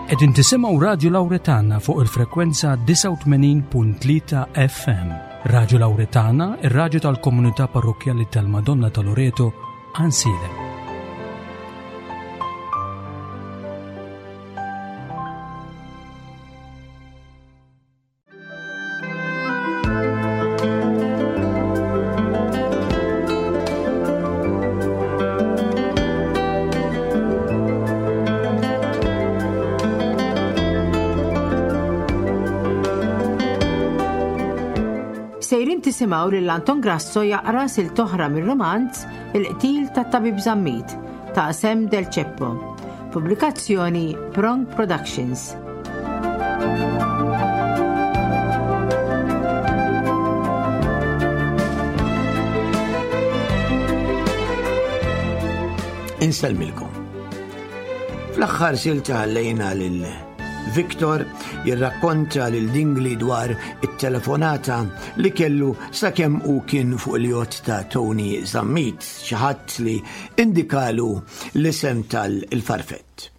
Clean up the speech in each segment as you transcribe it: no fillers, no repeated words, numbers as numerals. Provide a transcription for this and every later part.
Qegħdin tisimgħu Radju Lawretana fuq il-frekwenza 89.3 FM. Radju Lawretana, ir-radju tal-komunità parrokkjali tal-Madonna ta' Loreto, Ansilem. Sejrin tisimgħu lil Anton Grasso jaqra silt oħra mir-romanz Il-qtil tat-Tabib Zammit ta' Sam Del Ceppo. Pubblikazzjoni Prong Productions. Insellmilkom. Fl-aħħar silta ħallejna lil Victor jirrakkonta lil Dingli dwar it-telefonata li kellu sakemm hu kien fuq il-jott ta' Tony Zammit, xi ħadd li indikalu l-isem tal-farfett.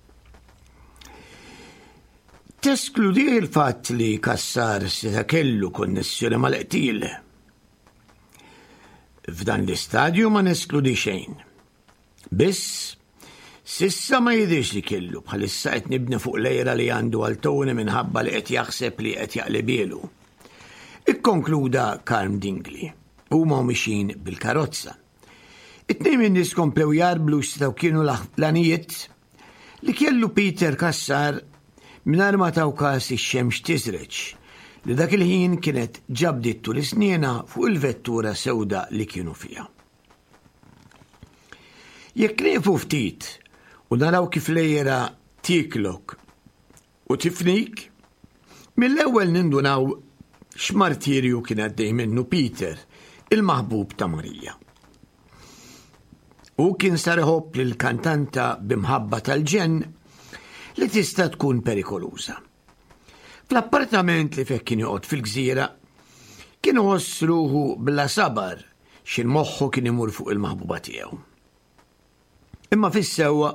Teskludi il-fatt li Cassar seta' kellu konnessjoni mal-qtil. F'dan l-istadju ma neskludi xejn. Biss, s'issa ma jidhirx li kellu, bħalissa qed nibni fuq l-għira li għandu għal Tony minħabba li qed jaħseb li qed jaqlibielu. Ikkonkluda Karm Dingli. Huma u mixjin bil-karozza. It-tnejn min-nies komplew jgħarblu x'setgħu kienu l-għanijiet li kellu Peter Cassar mingħajr ma taw kas ix-xemx tiżreġ li dak il-ħin kienet ġa bdiet turi snienha fuq il-vettura sewda li kienu fiha. Jekk nieqfu ftit u naraw kif l-għira tieklok u tifnik, mill-ewwel nindunaw x'martirju kien għaddej minnu Peter, il-maħbub ta' Marija. Hu kien sar iħobb lill-kantanta b'imħabba tal-ġenn li tista' tkun perikoluża. Fl-appartament li fih kien joqgħod fil-gżira, kien iħoss ruħu bla sabar x'in moħħu kien imur fuq il-maħbuba tiegħu. Imma fis-sewwa,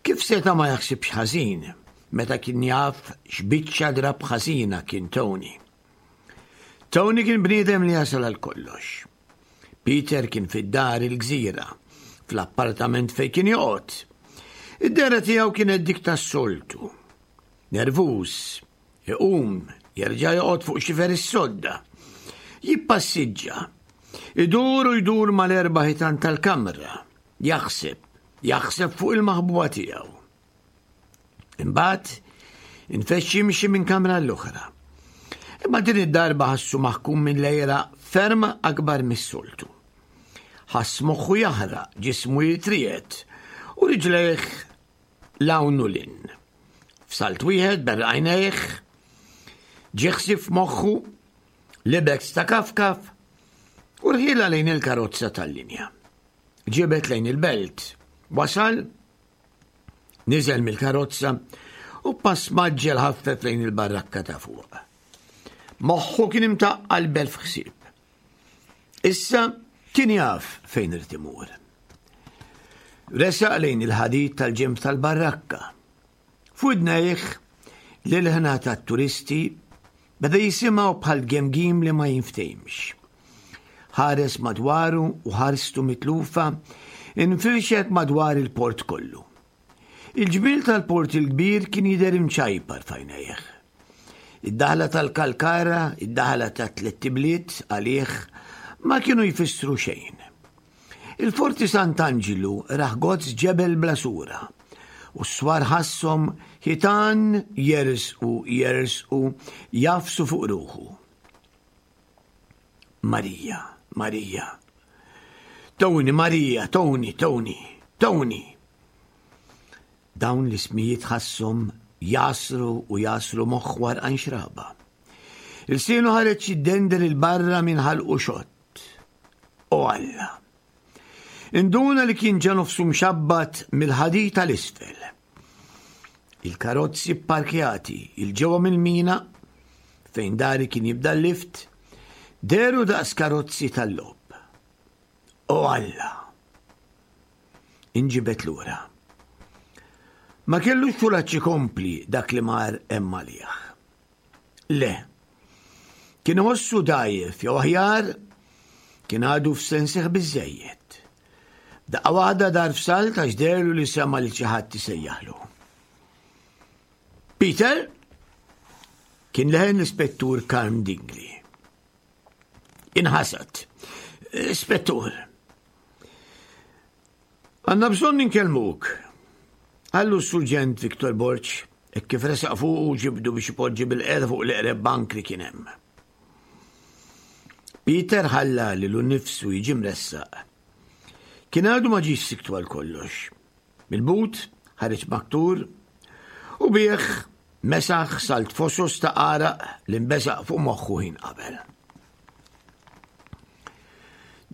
kif seta' ma jaħsibx ħażin meta kien jaf x'biċċa drapp ħażina kien Tony? Tony kien bniedem li jasal għal kollox. Peter kien fid-dar il-gżira, fl-appartament fejn kien joqgħod. Id-dehra tiegħu kienet dik tas-soltu. Nervuż, Iqum, jerġa' joqgħod fuq xifer is-sodda. Jippassiġġa. Idur u jdur mal-erba' ħitan tal-kamra. Jaħseb, jaħseb fuq il-maħbuba tiegħu. Imbagħad infexx jimxi minn kamra l-oħra. Imma din id-darba ħassu maħkum minn lejra ferm akbar mis-soltu. Ħass moħħu jaħraq, ġismu jitriet u riġlejh 'l hawn u 'l hinn. F'salt wieħed berraq għajnejh, ġie ħsieb f'moħħu, libes ta' kafkaf u rħielha lejn il-karozza tal-linja. Ġibed lejn il-belt. Wasal, niżel mill-karozza u pass maġġel ħaffef lejn il-barrakka ta' fuq. Moħħu kien imtaqqal b'elf ħsieb. Issa kien jaf fejn irid imur. Resaq lejn il-ħadid tal-ġenb tal-barrakka. F'widnejh l-ilħna tat-turisti beda jisimgħu bħal gemgim li ma jinftehimx. Ħares madwaru u ħarstu mitlufa infirxet madwar il-port kollu. Il-ġmiel tal-Port il-Kbir kien jidher imċajpar f'għajnejh. Id-daħla tal-Kalkara, id-daħla tat-Tlett Ibliet għalih ma kienu jfissru xejn. Il-Forti Sant'Anġlu rah gozz ġebel bla sura u s-swar ħasshom ħitan jersqu jersqu jagħfsu fuq ruħu. Marija, Marija. Tony, Marija, Tony, Tony, Tony. Dawn l-ismijiet ħasshom jasru u jasru moħħ warqan xraba. Il-sienu ħareġ jiddendel il-barra minn ħalqu xott. O Alla! Induna li kien ġa nofsu mxabbat mill-ħadid tal-isfel. Il-karozzi pparkjati 'il ġewwa mill-mina, fejn dari kien jibda l-lift, dehru daqs karozzi tal-logħob. O Alla! Inġibed lura. Ma kellux kuraġġ ikompli dak li mar hemm għalih. Le. Kien iħossu dgħajjef jew aħjar kien għadu f'sensih biżżejjed. Daqqa waħda dar f'salt għax deherlu li sema' lil xi ħadd isejjaħlu. Peter! Kien leħen l-Ispettur Karm Dingli. Inħasad. Ispettur. Għandna bżonn inkellmuk. Qallu s-Surġent Victor Borg, hekk kif resaq fuqu u ġibdu biex ipoġġi bilqiegħda fuq l-eqreb bank li kien hemm. Peter ħalla lilu nnifsu jiġi mressaq. Kien għadu ma ġiex siktu għal kollox. Mill-but ħareġ maktur u bih mesaħ salt fosos ta' għaraq li nbeżaq fuq moħħu ħin qabel.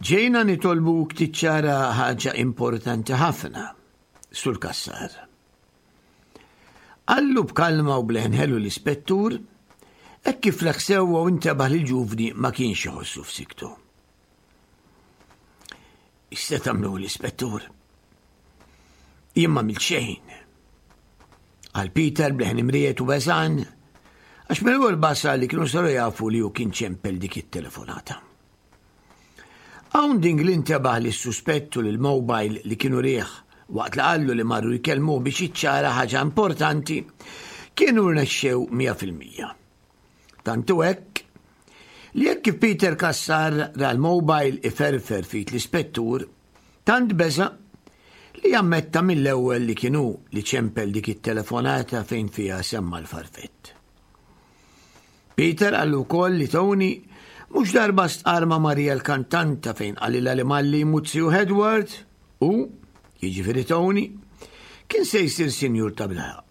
Ġejna nitolbuk tiċċara ħaġa importanti ħafna, Sur Cassar. Qallu b'kalma u b'leħen ħelu l-ispettur, hekk kif leħ sewwa u intebaħ li l-ġuvni ma kienx iħossu f'siktu. X'se tagħmlu l-ispettur? Jien ma għamilt xejn. Qal Peter b'leħen imriet u beżan, għax mill-ewwel basar li kienu saru jafu li hu kien ċempel dik it-telefonata. Hawn Dingli intebaħ li s-suspettu li l-mobile li kienu riħ waqt li qallu li marru jkellmuh biex jiċċara ħaġa importanti kienu rnexxew 100%. Tant hu hekk li hekk kif Peter Cassar ra l-mobile iferfer f'id l-ispettur, tant beża' li ammetta mill-ewwel li kien hu li ċempel dik it-telefonata fejn fiha semma l-farfett. Peter qallu wkoll li Tony mhux darba stqarr ma' Maria l-kantanta fejn qalilha li malli jmut zijuh Edward, hu, jiġifieri Tony, kien se jsir sinjur ta' bilħaqq.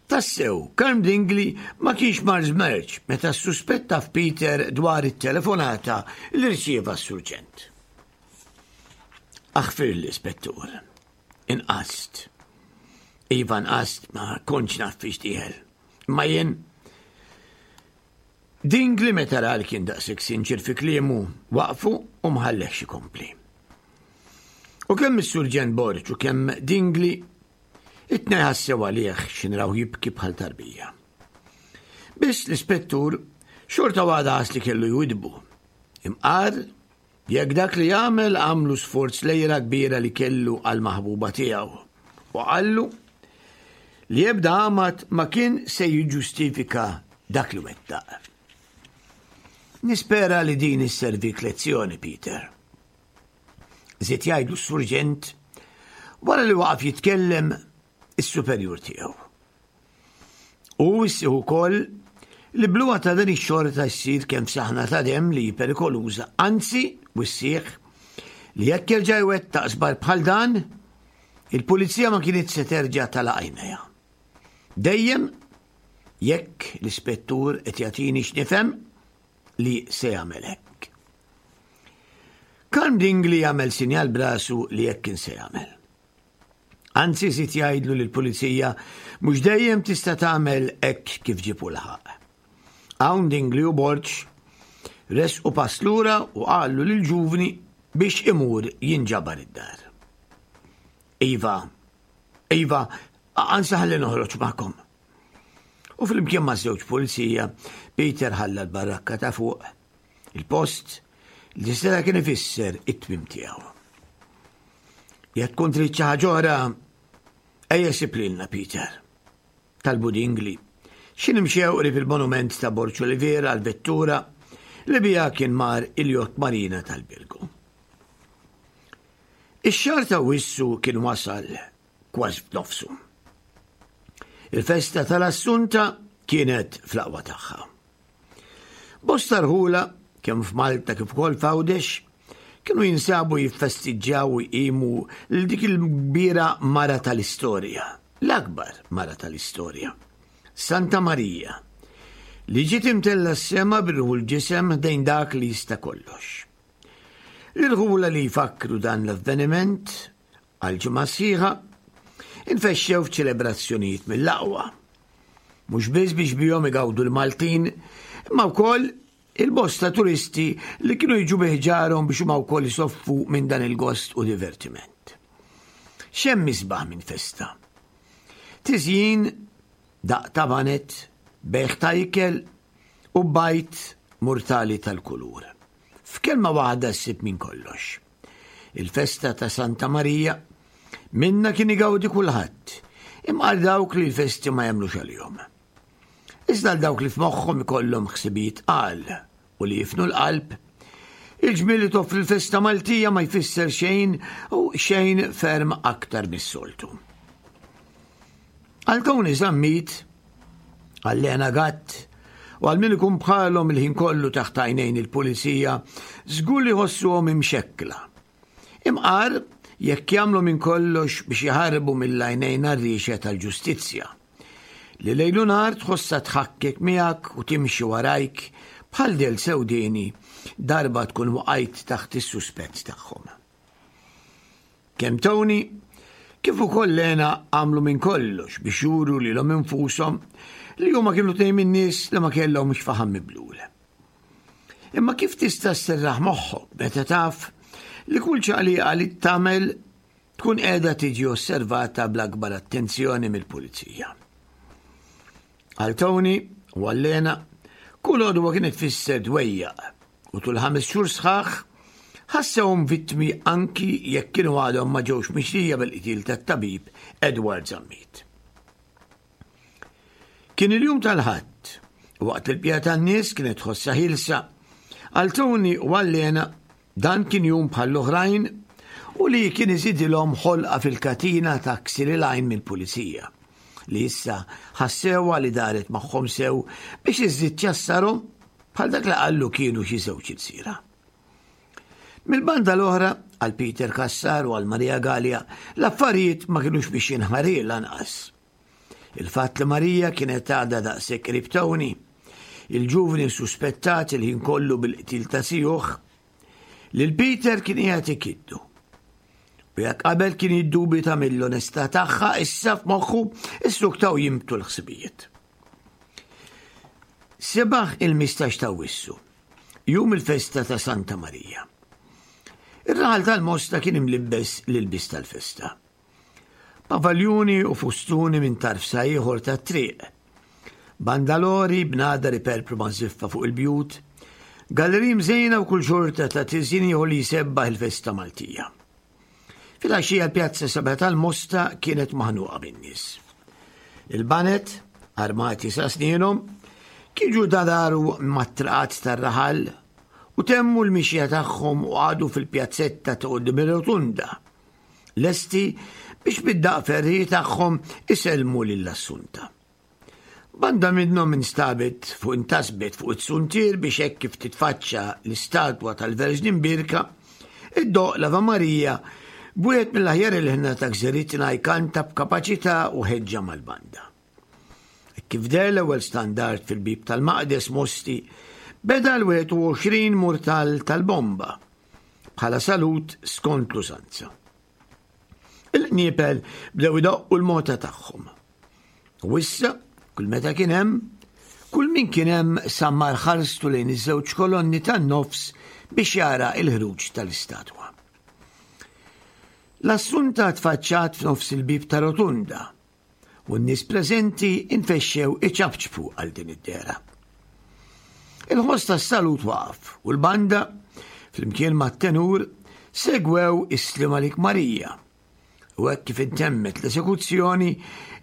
Tassew, Karm Dingli ma kienx mar żmerċ meta ssuspetta f'Peter dwar it-telefonata li rċieva s-surġent. Aħfirli, Spettur. Inqast. Iva nqast ma kontx naf fiex dieħel. Imma jien Dingli meta ra li kien daqshekk sinċier fi kliemu, waqfu u ma ħallehx ikompli. U kemm is-Surġent Borg u kemm Dingli It-tnejn ħassew għalih x'inraw rawh jibki bħal tarbija. Biss l-ispettur xorta waħda ħass li kellu jwidbu. Imqar jekk dak li għamel għamlu sforz lejra kbira li kellu għall-maħbuba tiegħu u qallu li ebda għamad ma kien se jiġġustifika dak li wettaq. Nispera li din isservik lezzjoni, Peter. Żied jgħidlu s-surġent wara li waqaf jitkellem is-superjur tiegħu. U wissih ukoll li bluha ta' din ix-xorta ssir kemm saħna ta' demm li hi perikoluża, anzi wissih li jekk jerġa' jwettaq żball bħal dan, il-pulizija ma kienet se terġa' tagħlaq għajnejha. Dejjem jekk l-ispettur qed jagħtini x'nifhem li se jagħmel hekk. Karm Dingli għamel sinjal b'rasu li hekk kien se jagħmel. Anzi żied jgħidlu li l-pulizija mhux dejjem tista' tagħmel hekk kif ġieb u laħaq. Hawn Dingli u Borg resqu pass lura u qalu lil ġuvni biex imur jinġabar id-dar. Iva, iva, ansa ħalli noħroġ magħkom. U flimkien ma' żewġ pulizija, Peter ħalla l-barrakka ta' fuq, il-post li seta' kien ifisser it-tmiem tiegħu. Jekk tkun trid xi ħaġa oħra, ejja sib lilna Peter. Talbu Dingli. Xi nimxew qrib il-monument ta' Borg Olivier għal-vettura li biha kien mar il-jott marina tal-Birgu. Ix-xahar ta' Wissu kien wasal kważi f'nofsu. Il-festa tal-Assunta kienet fl-aqwa tagħha. Bosta rħula, kemm f'Malta kif ukoll f'Għawdex, kienu jinsabu jiffestiġġjaw u jqimu lil dik il-kbira mara tal-istorja, l-akbar mara tal-istorja, Santa Marija, li ġiet imtella s-sema bir-ruħ l-ġisem ħdejn dak li jista' kollox. L-irħula li jfakkru dan l-avveniment Għal ġimgħa sħiħa, infexxew f'ċelebrazzjonijiet mill-aqwa. Mhux biss biex bihom igawdu l-Maltin, imma wkoll il-bosta turisti li kienu jiġu bi ħġarhom biex huma wkoll isoffu minn dan il-gost u divertiment. X'hemm isbaħ minn festa? Tiżjin, daqq ta' baned, bejgħ ta' ikel u bajd murtali tal-kulur. F'kelma waħda ssib minn kollox. Il-festa ta' Santa Marija minnha kien igawdi kulħadd, imqar dawk li l-festi ma jagħmlux għalihom. Iżda għal dawk li f'moħħhom ikollhom ħsibijiet tqal u li jifnu l-qalb, il-ġmiel li toffri l-festa Maltija ma jfisser xejn u xejn ferm aktar mis-soltu. Għal Tony Zammit, għal Lena Gatt, u għal min ikun bħalhom il-ħin kollu taħt għajnejn il-pulizija, żgur li jħossuhom imxekkla. Imqar jekk jagħmlu minn kollox biex jaħarbu mill-għajnejn għarriexa tal-ġustizzja. Li lejl u nhar tħossha tħakkek miegħek u timxi warajk bħal del sewdieni darba tkun waqajt taħt is-suspett tagħhom. Kemm Tony kif ukoll Lena għamlu minn kollox biex juru lilhom infushom li huma kienu tnejn min-nies li ma kellhomx faħam miblul. Imma kif tista' sserraħ moħħok meta taf li kull ċaqliqa li tagħmel tkun qiegħda tiġi osservata bl-akbar attenzjoni mill-pulizija? Għal Tony u għal Lena, kull għodwa kienet tfisser dwejjaq u tul ħames xhur sħaħ ħassewhom vittmi anki jekk kienu għadhom ma ġewx mixlija bil-qtil tat-tabib Edward Zammit. Kien il-jum tal-Ħadd, u waqt li l-bqija tan-nies kienet tħossha ħielsa, għal Tony u għal Lena dan kien jum bħall-oħrajn u li kien iżidilhom ħolqa fil-katina ta' ksir il-għajn mill-pulizija, li issa ħassewha li daret magħhom sew biex iżżid ċassarhom bħal dak li qallu kienu xi żewġ ilsiera. Mill-banda l-oħra, għal Peter Cassar u għal Maria Galea, l-affarijiet ma kinux biex jinħarir lanqas. Il-fatt li Marija kienet għadha daqshekk qrib Tony, il-ġuvni suspettat il-ħin kollu bil-qtil ta' sijuh, lil Peter kien qiegħed ikiddu. U jekk qabel kien jiddubita mill-onestà tagħha, issa f'moħħu issuktaw jimbtu l-ħsibijiet. Sebaħ il-mistax ta' Wissu, jum il-festa ta' Santa Marija. Ir-raħal tal-Mosta kien imlibbes l-ilbies tal-festa. Pavaljuni u fustuni minn tarf sa ieħor tat-triq. Bandalori b'nadar iperpru ma' żiffa fuq il-bjut, galleriji mżejna u kull xorta ta' tiżjin ieħor li jsebbaħ il-festa Maltija. Filgħaxija l-pjazza sabiħa tal-Mosta kienet maħnuqa bin-nies. Il-banet, armati sa snienhom, kienu dadaru mat-traqat tar-raħal u temmu l-mixja tagħhom u qagħdu fil-pjazzetta ta' quddiem ir-rotunda, lesti biex bid-daqq ferrieħi tagħhom isellmu lil Assunta. Banda minnhom instabet fuq intasbet fuq it-suntier biex hekk kif titfaċċa l-istatwa tal-Verġni Mbierka, iddoqq l-Ave Maria b'wieħed mill-aħjar ilħna ta' gżiritna jkanta b'kapaċità u ħeġġa mal-banda. Hekk kif deher l-ewwel standard fil-bieb tal-Maqdes Mosti, beda l-21 murtal tal-bomba bħala salut skont l-użanza. Il-qniepel bdew idoqqu l-mota tagħhom. U issa, kull meta kien hemm, kull min kien hemm sammar ħarstu lejn iż-żewġ kolonni tan-nofs biex jara il-ħruġ tal-istatwa. L-Assunta tfaċċat f'nofs il-bieb ta' rotunda u n-nies preżenti infexxew iċapċpu għal din id-dehra. Il-ħoss tas-salut waqaf u l-banda, flimkien mat-tenur, segwew is-Sliem Għalik Marija. U hekk kif intemmet l-esekuzzjoni,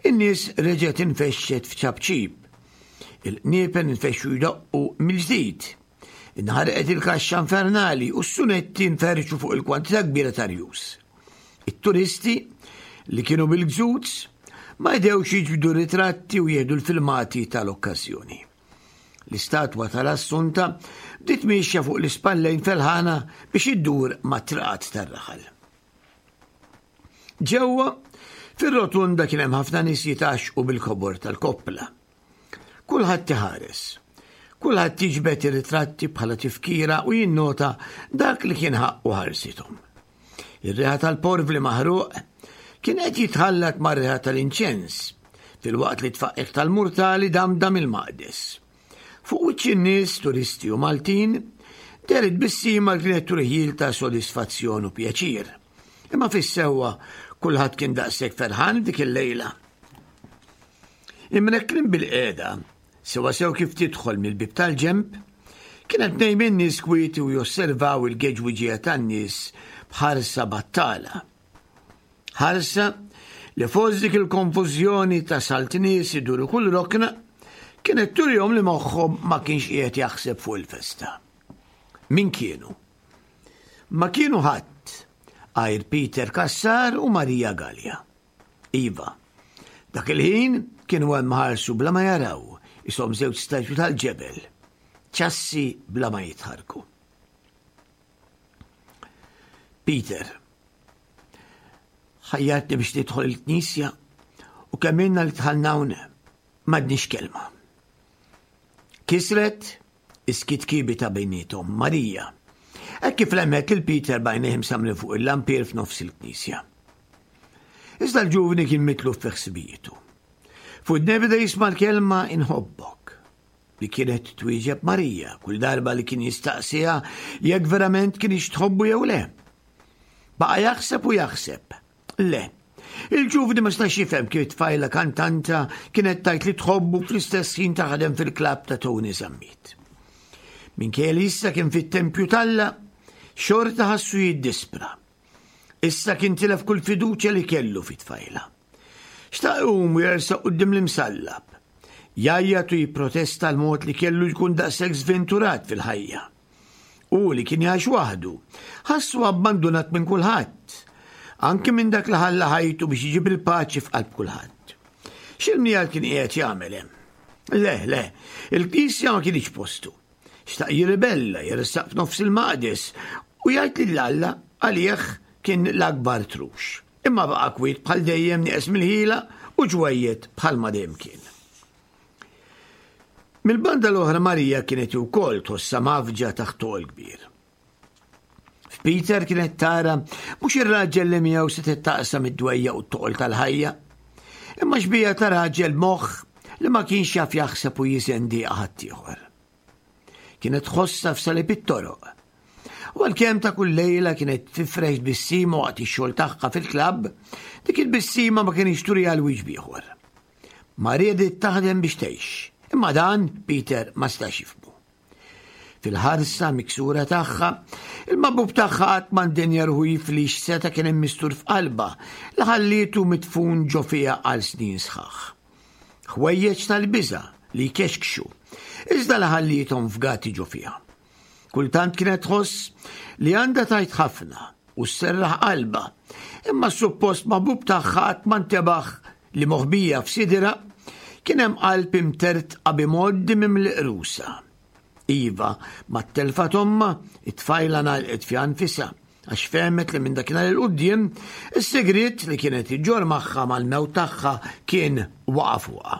in-nies reġgħet infexxet f'ċapċip. Il-qniepen infexxu jdoqqu mill-ġdid. Inħarqet il-kaxxa infernali u s-sunetti nferxu fuq il-kwantità kbira ta' rjus. It-turisti, li kienu bil-gżuz, ma jdewx jiġbdu ritratti u jieħdu l-filmati tal-okkażjoni. L-istatwa tal-Assunta bdiet miexja fuq l-ispallejn felħana biex iddur mat-triqat tar-raħal. Ġewwa, fir-rotunda kien hemm ħafna nies jitgħaxxqu bil-kobor tal-koppla. Kulħadd iħares. Kulħadd jiġbed ir-ritratti bħala tifkira u jinnota dak li kien ħaqqu ħarsithom. Ir-riħa tal-porvli maħruq kien qed jitħallat mar-riħa tal-inċens, filwaqt li t-tfaqqiq tal-murtali damdam il-maqdes. Fuq wiċċ in-nies, turisti u Maltin, dehret tbissima li kienet turi ħjiel ta' sodisfazzjon u pjaċir. Imma fis-sewwa, Kulħadd kien daqshekk ferħan dik il-lejla. Imrekkrin bil-qiegħda, sewwasew kif tidħol mill-bieb tal-ġenb, kienet nejmin nies kwieti u josservaw il-geġwiġija tan-nies b'ħarsa battala. Ħarsa li fost dik il-konfużjoni ta' salt nies iduru kull rokna, kienet turihom li moħħhom ma kienx qiegħed jaħseb fuq il-festa. Min kienu? Ma kienu ħadd għajr Peter Cassar u Maria Galea. Iva, dak il-ħin kienu hemm ħarsu bla ma jaraw, ishom żewġ statwi tal-ġebel, ċassi bla ma jitħarku. Peter, ħajjartni biex nidħol il-knisja u kemm ilna li dħalna hawn m'għadniex kelma. Kisret is-skiet kiebi ta' bejniethom Marija, hekk kif lemħet lil Peter b'għajnejh imsammrin fuq il-lampier f'nofs il-knisja. Iżda l-ġuvni kien mitluf fi ħsibijietu. F'widnejh beda jisma' l-kelma inħobbok li kienet twieġeb Marija kull darba li kien jistaqsiha jekk verament kienx tħobbu jew le. Baqa' jaħseb u jaħseb. Le. Il-ġuvni ma stax jifhem kif tfajla kantanta kienet tajt li tħobbu fl-istess ħin taħdem fil-klabb ta' Tony Zammit. Minkejja li issa kien fit-tempju t'Alla, xorta ħassu jiddispra. Issa kien tilef kull fiduċja li kellu fit-tfajla. Xtaq iqum u jersaq quddiem l-imsallab. Jgħajjat u jipprotesta l-mod li kellu jkun daqshekk żventurat fil-ħajja. Hu li kien jgħix waħdu, ħassu abbandunat minn kulħadd, anki minn dak li ħalla ħajtu biex iġib il-paċi f'qalb kulħadd. X'il-mnijal kien qiegħed jagħmel hemm? Le, le, il-knisja ma kienx postu. Xtaq jirribella, jersaq f'nofs il-maqdes u jgħid lil Alla għalih kien l-akbar trux. Imma baqa' kwiet bħal dejjem nieqes mill-ħila u ġwejjed bħal ma dejjem kien. Mill-banda l-oħra Marija kienet ukoll tħossha mgħaffġa taħt toqol kbir. F'Peter kienet tara mhux ir-raġel li miegħu setgħet taqsam id-dwejja u t-toqol tal-ħajja, imma xbija ta' raġel moħħ li ma kienx jaf jaħseb u jiżen dieqa ħaddieħor. Kienet tħossha f'salib it-toroq. U għalkemm ta' kull lejla kienet tifrex tbissima waqt ix-xogħol tagħha fil-klabb, dik il-tbissima ma kienx turiha l-wiċċ b'ieħor. Ma riedet taħdem biex tgħix, imma dan Peter ma stax jifhmu. Fil-ħarsa miksura tagħha, il-mabub tagħha qatt ma ndenja ruħu jifli x'seta' kien hemm mistur f'qalbha li ħallietu midfun ġo fiha għal snin sħaħ. Ħwejjeġ tal-biża' li jkexkxu, iżda li ħalliethom fgati ġo fiha. Kultant kienet tħoss li għandha tgħid ħafna u sserraħ qalbha, imma s-suppost maħbub tagħha qatt ma ntebaħ li moħbija f'sidirha kien hemm qalb imtertqa b'imgħoddi mimli qrusa. Iva, mat-telfa t'ommha, it-tfajla ngħalqet fiha nfisha għax fehmet li minn dakinhar 'il quddiem is-sigriet li kienet iġġorr magħha mal-mewt tagħha kien waqa' fuqha.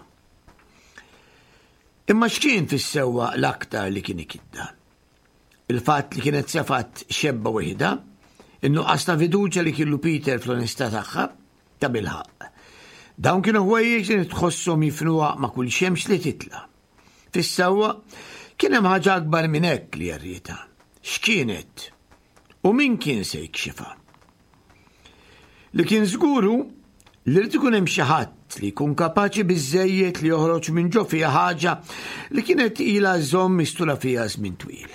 Imma x'kien fis-sewwa l-aktar li kien ikiddha? Il-fatt li kienet sefgħet xebba waħidha, in-nuqqas ta' fiduċja li kellu Peter fl-onestà tagħha, tabilħaqq. Dawn kienu ħwejjeġ li tħosshom jifnuha ma' kull xemx li titla'. Fis-sewwa, kien hemm ħaġa akbar minn hekk li jerrietha. X'kienet? U min kien se jikxifha? Li kien żgur hu li rrid ikun hemm xi ħadd li jkun kapaċi biżżejjed li joħroġ minn ġo fiha ħaġa li kienet ilha żomm mistura fiha żmien twil.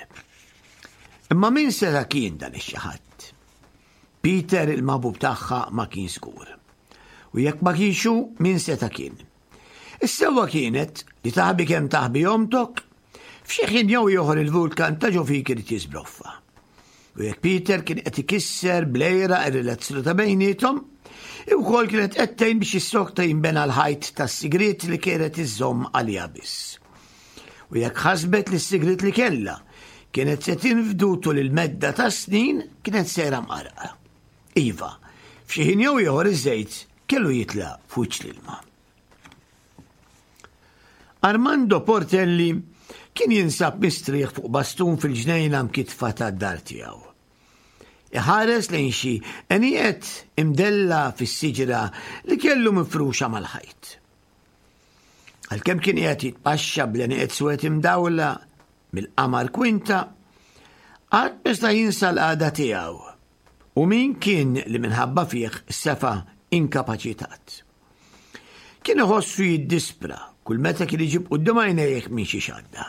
Imma min seta' kien dan ix-xi ħadd? Peter il-maħbub tagħha ma kien żgur. U jekk ma kienx hu, min seta' kien? Is-sewwa kienet li taħbi kemm taħbi omtok, f'xi ħin jew ieħor il-vulkan ta' ġo fik irid jiżbroffa. U jekk Peter kien qed ikisser bl-għira ir-relazzjoni ta' bejniethom, hi wkoll kienet qed tgħin biex jissokta jinbena l-ħajt tas-sigriet li kienet iżżomm għaliha biss. U jekk ħasbet li s-sigriet li kellha kienet se tinfdu tul il-medda ta' snin kienet sejra mqarqa. Iva, f'xi ħin jew ieħor iż-żejt kellu jitla' f'wiċċ l-ilma. Armando Portelli kien jinsab mistrieħ fuq bastun fil-ġnejna mkitfa tad-dar tiegħu. Iħares lejn xi għenieqed imdella fis-siġra li kellu mifruxa mal-ħajt. Għalkemm kien qiegħed jitpaxxa bl-għenieqed swed imdawla mill-qamar kwinta, qatt ma seta' jinsa l-qagħda tiegħu U min kien li minħabba fih sefa' inkapaċitat. Kien iħossu jiddispra kull meta kien iġib quddiem għajnejh minn xi xadda.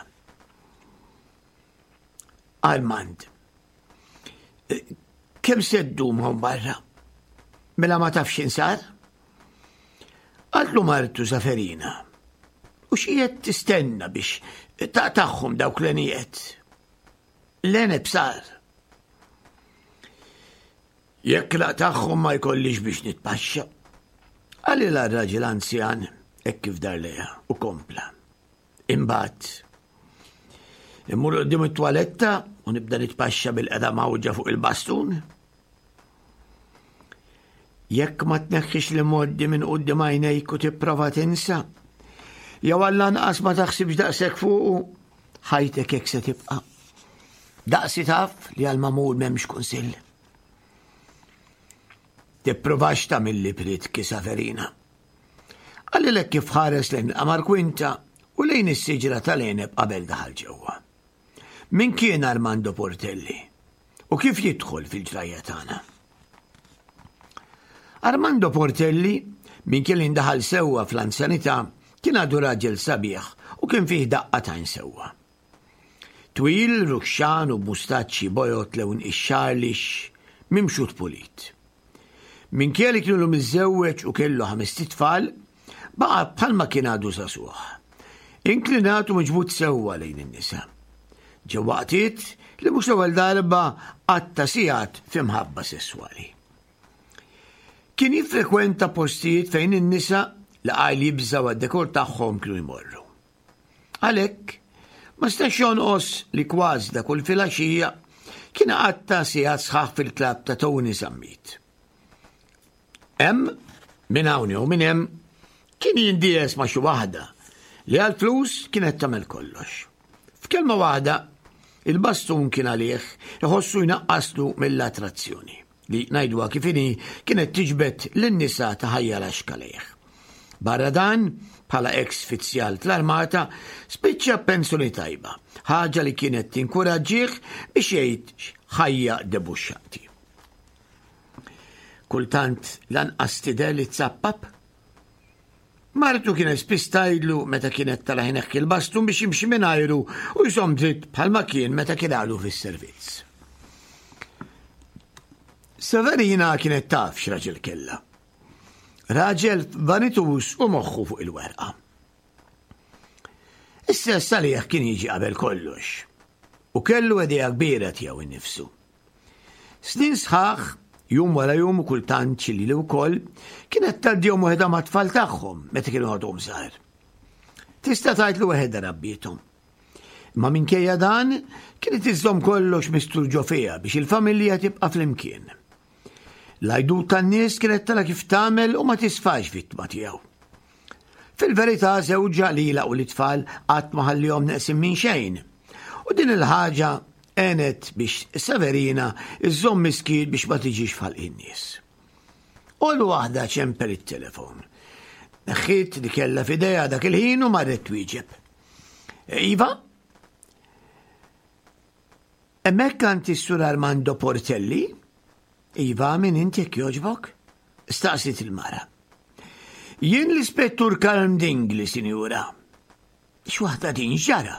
Armand, kemm se ddum hawn barra? Mela ma tafx insar? Qaltlu martu Saferina. U x'qiegħed tistenna biex taqtagħhom dawk l-għenijiet? L-għeneb sar. Jekk naqtagħhom ma jkollix biex nitpaxxa. Qalilha r-raġel anzjan hekk kif dar lejha u kompla. Imbagħad immur qudiem it-twaletta u nibda nitpaxxa bil-qeda mawġa fuq il-bastun. Jekk ma tneħħix li moddi minn quddiem għajnejk u tipprova tinsa, jew għall-anqas ma taħsibx daqshekk fuqu, ħajtek hekk se tibqa'. Daqsi taf li għal mamul m'hemmx kunsill. Tipprovax tagħmilli pritki Saverina. Qalilek kif ħares lejn il-qamar kwinta u lejn is-siġra tal-għeneb qabel daħal ġewwa. Min kien Armando Portelli? U kif jidħol fil-ġrajja tagħna? Armando Portelli, min kien indaħal sewwa fl-anzjanità, kien għadu raġel sabiħ u kien fih daqqa tajn sewwa. Twil, ruxxan u b'mustaċċi bojod lewn ix-xagħar lixx, mimxut pulit. Minkejja li kienu miżżewweġ u kellu ħamest itfal, baqa' bħalma kien għadu żagħżugħ. Inklinat u miġbud sewwa lejn in-nisa. Ġew waqtiet li mhux l-ewwel darba qatta' sigħat fi mħabba sesswali. Kien jiffrekwenta postijiet fejn in-nisa li qajl jibżgħu għad-dekor tagħhom kienu jmorru. Għalhekk, ma stax jonqos li kważi ta' kull filgħaxija kien iqatta' sigħat sħaħ fil-klabb ta' Tony Zammit. Hemm, minn hawn jew minn hemm, kien jindies ma' xi waħda li għall-flus kienet tagħmel kollox. F'kelma waħda, il-bastun kien għalih iħossu jnaqqaslu mill-attrazzjoni. li ngħiduha kif inhi kienet tiġbed lin-nisa ta' ħajja laxka lejh. Barra dan, bħala eks fizzjal fl-armata, spiċċa b'pensjoni tajba, ħaġa li kienet tinkuraġġih biex jgħid ħajja debuxxati. Kultant lanqas tidher li tsappap. Martu kienet spiss tgħidlu meta kienet tara jneħħi l-bastun biex jimxi mingħajru u jżomm dritt bħalma kien meta kien għadu fis-servizz. Severina kienet taf x'raġel kellha. Raġel vanitus u moħħu fuq il-werqa. Is-sess għalih kien jiġi qabel kollox u kellu idea kbira tiegħu innifsu. Snin sħaħ, jum wara jum u kultant xi lili wkoll, kienet tgħaddihom waħedha mat-tfal tagħhom meta kienu għadhom żgħar. Tista' tgħid li waħedha rabbiethom. Imma minkejja dan, kienet iżżomm kollox mistur ġo fiha biex il-familja tibqa' flimkien. L-għajdut tan-nies kienet tara kif tagħmel u ma tisfax vittma tiegħu. Fil-verità żewġha lilha u l-itfal qatt ma ħallihom neqsin minn xejn. U din il-ħaġa għenet biex Severina iżżomm miskiet biex ma tiġix f'ħalq in-nies. Għol waħda ċempel it-telefon. Neħħiet li kellha f'idejha dak il-ħin u marret twieġeb. Iva? Hemmhekk għand is-Sur Armando Portelli? Iva, min int jekk jogħġbok? Staqsiet il-mara. Jien l-Ispettur Kalm Dingli, sinjura. X'waħda din x'ġara?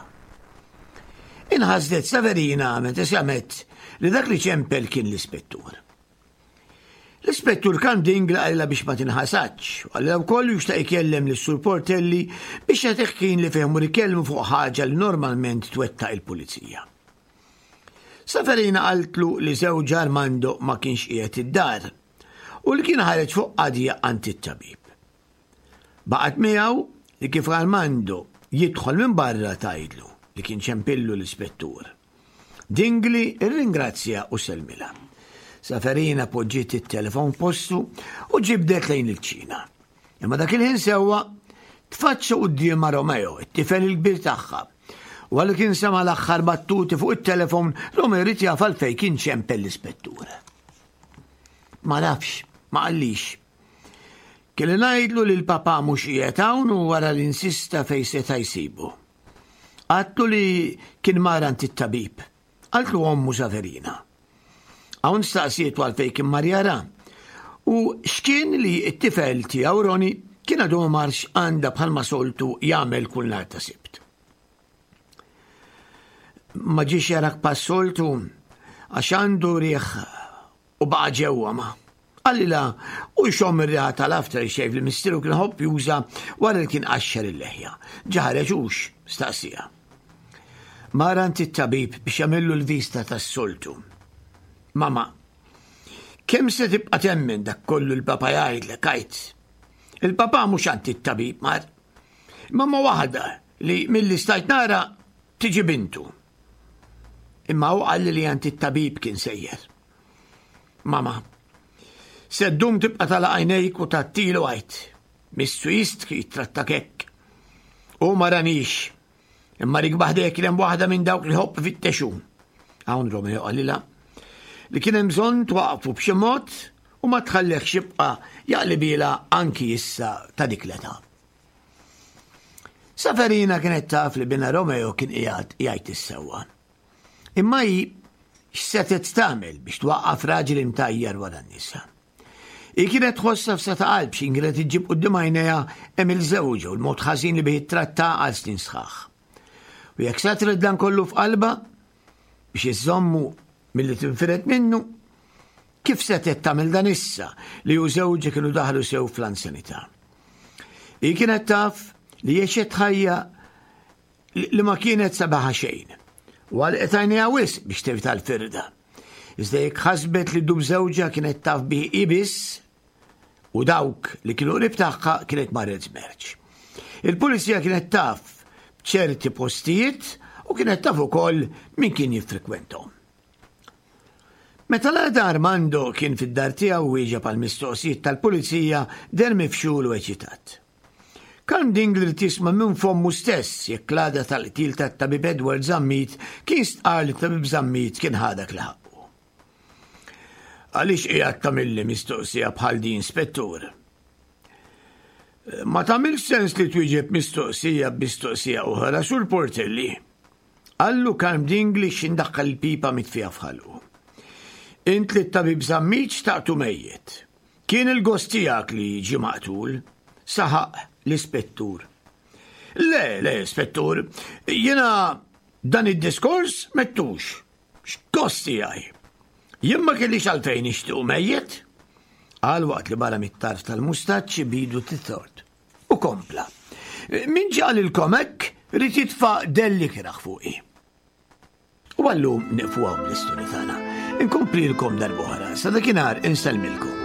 Inħasdet Severina meta semgħet li dak li ċempel kien l-ispettur. L-ispettur Kalm Dingli qalilha biex ma tinħasadx, u qalilha wkoll li xtaq ikellem lis-Sur Portelli biex jagħtih ħin li fih imur ikellmu fuq ħaġa li normalment twettaq il-pulizija. Severina qaltlu li żewġha Armando ma kienx qiegħed id-dar u li kien ħareġ fuq qadja għand it-tabib. Baqgħet miegħu li kif Armando jidħol minn barra tgħidlu li kien ċempillu l-ispettur. Dingli rringrazzja u sellmilha. Saferina poġġiet it-telefon f'postu u ġibdet lejn il-kċina. Imma dak il-ħin sewwa tfaċċa quddiemha Romeo, it-tifel il-kbir tagħha. Wara li kien sema' l-aħħar battuti fuq it-telefon, Romeo ried jaf għalfejn kien ċempel l-ispettur. Ma nafx, ma qallix. Kelli ngħidlu li l-papà mhux qiegħed hawn u wara li insista fejn seta' jsibu. Għadtlu li kien mar għand it-tabib. Qaltlu ommu Saverina. Hawn staqsietu għalfejn kien mar jara. U x'kien li t-tifel tiegħu Roni kien għadu ma marx għandha bħalma soltu jagħmel kull nhar ta' Sibt. Ma ġiex jarak pas-soltu għax għandu riħ u baqa' ġewwa ma. Qalilha u jxomm ir-riħa tal-aftershave li missieru kien iħobb juża wara li kien qaxxar il-leħja. Ġa ħareġ hux? staqsieha. Mar għand it-tabib biex jagħmillu l-vista tas-soltu. Mama, kemm se tibqa' temmen dak kollu l-papa jgħidlek għid? Il-papa mhux għand it-tabib mar. Imma ma waħda li milli stajt nara tiġi bintu. Imma hu qalli li għand it-tabib kien sejjer. Mama, se ddum tibqa' tagħlaq għajnejk u tgħattilu għid. Missu jistħi jittrattak hekk. U ma ranix. Imma rik baħdejk kien hemm waħda minn dawk li ħobb fittexu. Hawn Romeo qalilha li kien hemm bżonn twaqfu b'xi mod u ma tħallehx jibqa' jaqlibilha anki issa ta' dik l-età. Saferina kienet taf li bina Romeo kien qiegħed jgħid is-sewwa. Imma hi x'setgħet tagħmel biex twaqqaf raġel imtajjar wara n-nisa? Hi kienet tħossha f'sa ta' qalb x'in kienet iġġib quddiem għajnejha għemil żewġha u l-mod ħażin li bih ittratta għal snin sħaħ. U jekk satret dan kollu f'qalbha biex iżżommu milli tinfired minnu, kif setgħet tagħmel dan issa li hu żewġha kienu daħlu sew fl-anzjanità? Hi kienet taf li għexet ħajja li ma kienet sabiħa xejn. U għalqet għajnejha wisq biex tevita l-firda. Iżda jekk ħasbet li dub żewġha kienet taf bih hi biss u dawk li kienu qrib tagħha kienet marret żmerċ. Il-pulizija kienet taf b'ċerti postijiet u kienet taf ukoll min kien jiffrekwentahom. Meta l-għada Armando kien fid-dar tiegħu wieġeb għal mistoqsijiet tal-pulizija deher mifxul u eċitat. Karm Dingli ried jisma' minn fommu stess jekk l-għada tal-qtil tat-Tabib Edward Zammit kien stqarr li t-Tabib Zammit kien ħa dak li ħaqqu. Għaliex qiegħed tagħmilli mistoqsija bħal din, Spettur? Ma tagħmilx sens li twieġeb mistoqsija b'mistoqsija oħra, Sur Portelli. Qallu Karm Dingli x'indaħħal il-pipa mitfija f'ħalqu. Int li t-Tabib Zammit xtaqtu mejjet. Kien il-gost tiegħek li ġie maqtul, saħaq l-ispettur. Le, le, spettur, jiena dan id-diskors mettux. X'gost tiegħi? Jien ma kellix għalfejn nixtiequ mejjet. Qal waqt li barra mit-tarf tal-mustaċċi bidu titort. U kompla. Min ġie qalilkom hekk ried jitfa' delli kiraħ fuqi. U għallum nieqfu hawn bl-istorja tagħna. Inkomplilkom darb'oħra, sa dakinhar insellmilkom.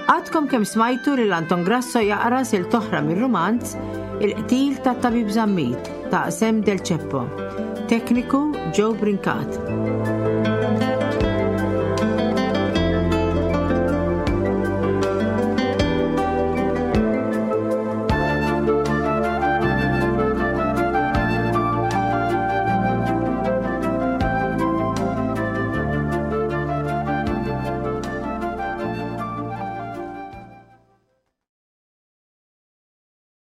Għadkom kemm smajtu lil Anton Grasso jaqra sil toħra mir-rumanz Il-qtil ta' Tabib Zammit ta' Sem Del Ceppo. Tekniku Joe Brincat.